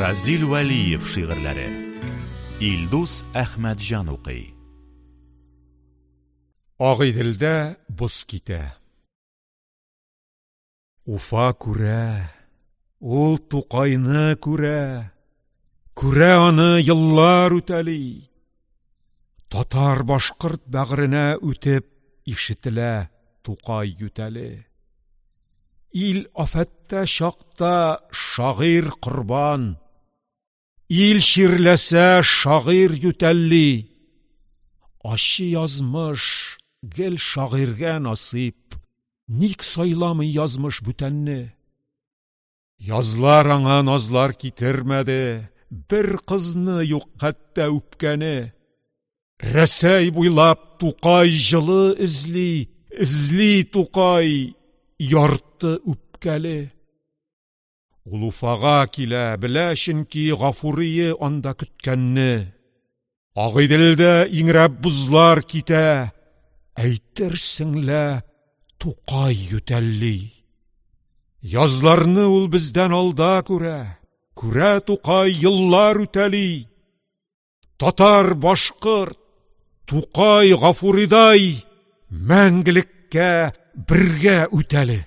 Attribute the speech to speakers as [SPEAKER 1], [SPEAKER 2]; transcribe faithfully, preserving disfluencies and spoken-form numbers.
[SPEAKER 1] Разил Вәлиев шигырьләре. Илдус Әхмәтҗан укый.
[SPEAKER 2] Агыйделдә боз китә. Уфа күрә, ул Тукайны күрә, күрә аны еллар үтәли. Татар-башкорт бәгыренә үтеп ишетелә Тукай ютәле. Ил афәттә чакта шагыйрь корбан. Ил чирләсә шагыйрь ютәлли. Ачы язмыш гел шагыйрьгә насыйп. Ник сайламый язмыш бүтәнне? Язлар аңа назлар китермәде, бер кызны юк хәтта үпкәне. Рәсәй буйлап Тукай җылы эзли, эзли Тукай ярты үпкәле. Ул Уфага килә, белә чөнки Гафурие анда көткәнне. Агыйделдә иңрәп бозлар китә, әйтерсең лә Тукай ютәлли. Язларны ул бездән алда күрә, күрә Тукай еллар үтәли. Татар, башкорт, Тукай, Гафуридай мәңгелеккә бергә үтәле.